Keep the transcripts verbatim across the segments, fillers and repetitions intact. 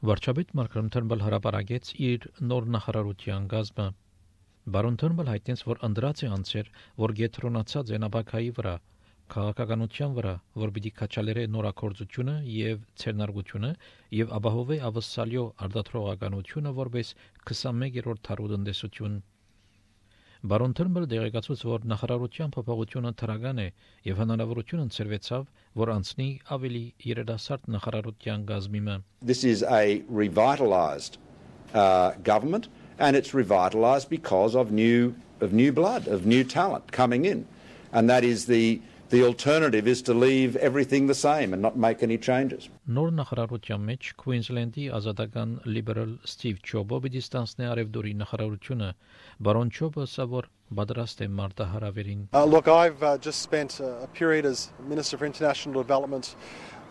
Վարչապետ Մալքոմ Թերնբել հրապարակեց իր նոր նախարարության գազմը։ Բարոն Թերնբել հայտնեց, որ անդրած է անցեր, որ գետրոնացած է նաբակայի վրա, քաղաքականության վրա, որ պիտի քաչալերե նորակորձությունը եւ ցերնարգությունը եւ ապահովե ավսալյո արդատրողականությունը որպես քսանմեկերորդ թարու տնտեսություն։ Բարոն Թերնբելը դեղեկացուց, որ նախարարության փոփոխությունը թրական է եւ հնարավորություն ընձեռվեցավ, որ անցնի ավելի երիտասարդ նախարարության գազմիմը։ This is a revitalised uh, government, and it's revitalised because of new of new blood, of new talent coming in, and that is the the alternative is to leave everything the same and not make any changes. Նոր նախարարության մեջ Քուինզլենդի ազատական լիբերալ Ստիվ Ջոբը պիտի ստանցնի Արևդուրի նախարարությունը։ Բարոն Ջոբը ասա, որ պատրաստ է մարտահրավերին։ Uh, look, I've uh, just spent a, a period as Minister for International Development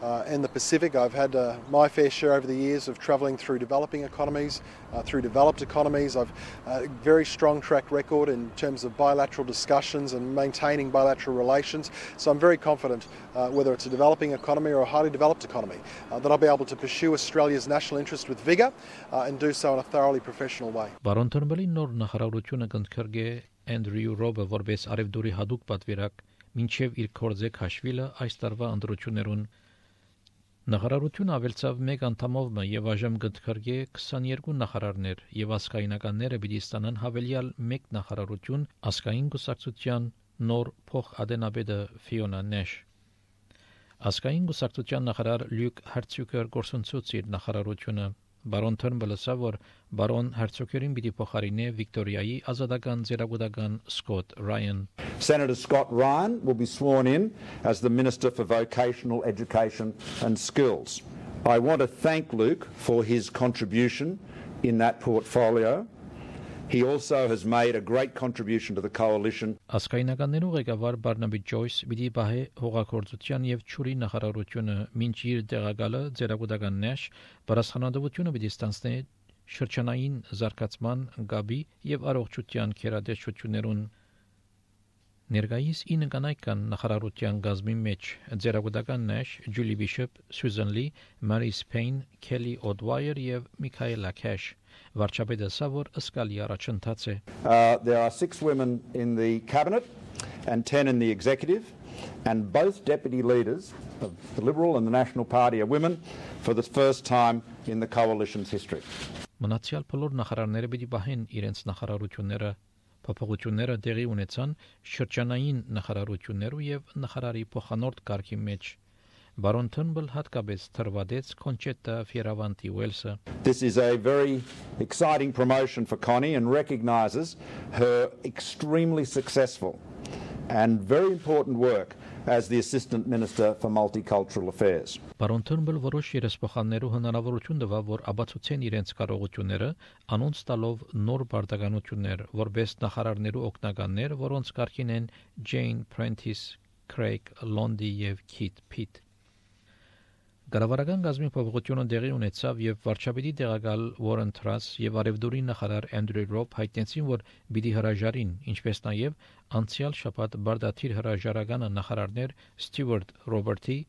uh, in the Pacific. I've had uh, my fair share over the years of travelling through developing economies, uh, through developed economies. I've a uh, very strong track record in terms of bilateral discussions and maintaining bilateral relations. So I'm very confident, uh, whether it's a developing economy or a highly developed economy, uh, that I'll be able to pursue Australia's national interest with vigour uh, and do so in a thoroughly professional way. Բարոն Թերնբելի նոր նախարարությունը կընդգրկե Andrew Robe որպես Արևդուրի հadoop պատվիրակ մինչև իր կորձե քաշվիլը այս տարվա ընտրություններուն նախարարությունը ավելցավ մեկ անդամով եւ այժմ կընդգրկե քսաներկու նախարարներ եւ ազգայնականները պիտի ստանան հավելյալ մեկ նախարարություն ազգային գուսակցության նոր փոխադենաբեդը Ֆիոնա Նեշ ազգային գուսակցության նախարար Լյուկ Հարցյուկեր գործընծուց իր նախարարությունը Բարոն Թերնբելը ասա, որ Բարոն Հարցյուկերին պիտի փոխարինե Վիկտորիայի ազատական ձերագուտական Scott Ryan. Senator Scott Ryan will be sworn in as the Minister for Vocational Education and Skills. I want to thank Luke for his contribution in that portfolio. He also has made a great contribution to the coalition. Ասկայնականներու ղեկավար Բարնաբի Ջոյս պիտի բահե հողագործության եւ ճուրի նախարարությունը մինչ իր տեղակալը ձերագուտական Նեշ բարձրանալությունը պիտի ստանցնի շրջանային զարգացման գաբի եւ առողջության քերադեշություններուն Ներկայիս ինը կանայքան նախարարության գազմի մեջ ձերագուտական Նեշ, Ջուլի Բիշոփ, Սյուզան Լի, Մարիս Փեյն, Քելի Օդվայեր եւ Միքայելա Քեշ Վարչապետը ասա, որ ըսկալի առաջընթաց է There are six women in the cabinet and ten in the executive and both deputy leaders of the Liberal and the National Party are women for the first time in the coalition's history. Մնացյալ բոլոր նախարարները պիտի բահեն իրենց նախարարությունները Փոփոխությունները տեղի ունեցան շրջանային նախարարություններու եւ նախարարի փոխանորդ կարգի մեջ Բարոն Թերնբել հատկապես թրվադեց Կոնչետա Ֆիերավանտի Ուելսը This is a very exciting promotion for Connie and recognises her extremely successful and very important work as the Assistant Minister for Multicultural Affairs. Բարոն Թերնբել որոշ երեսփոխաններու հնարավորություն տվավ, որ աբացուցեն իրենց կարողությունները, անոնց տալով նոր բարդականություններ, որպես նախարարներու օգնականներ, որոնց կարգին են Jane Prentice, Craig Londy եւ Kit Pitt. Գարավարական գազմի փոփոխությունը դեղի ունեցավ եւ վարչապետի տեղակալ Warren Truss եւ Արևդուրի նախարար Andrew Robb հայտնեցին, որ պիտի հրաժարին, ինչպես նաեւ անցյալ շաբաթ բարդաթիր հրաժարականը նախարարներ Stewart Roberty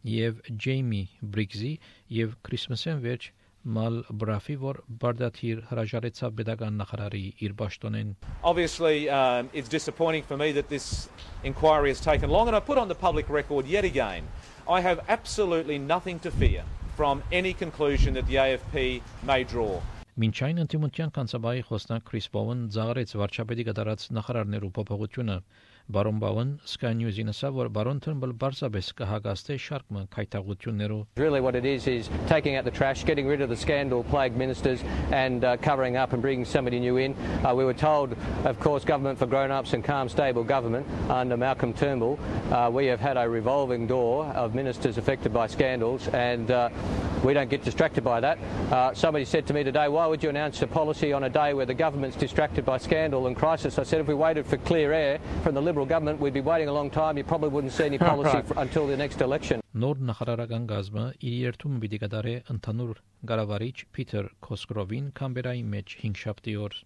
եւ Jamie Briggs-ի եւ Քրիսմասեն վերջ Mal Brafi, որ բարդաթիր հրաժարեցավ pedagogan նախարարի իր պաշտոնեն. Obviously, um, it's disappointing for me that this inquiry has taken long, and I put on the public record yet again. I have absolutely nothing to fear from any conclusion that the A F P may draw. Մինչ այն ընդդիմության կանցաբայի խոսնակ Քրիս Բոուն ծաղրեց վարչապետի կատարած նախարարներու փոփոխությունը Բարոն Բաուն Sky News-ին ասա, որ Բարոն Թերնբել բարձրապես կհագաստե շարք քայթաղություններով. Really what it is is taking out the trash, getting rid of the scandal-plagued ministers and uh, covering up and bringing somebody new in. Uh, we were told, of course, government for grown-ups and calm, stable government under Malcolm Turnbull. Uh, we have had a revolving door of ministers affected by scandals and uh, we don't get distracted by that. Uh, somebody said to me today, why would you announce a policy on a day where the government's distracted by scandal and crisis? I said if we waited for clear air from the Liberal government, we'd be waiting a long time. You probably wouldn't see any policy right. until the next election. Նոր նախարարական գազմը իր երթումը պիտի կատարե ընդհանուր ղարավարիչ Փիթեր Քոսկրովին Կամբերայի մեջ հինգշաբթի օր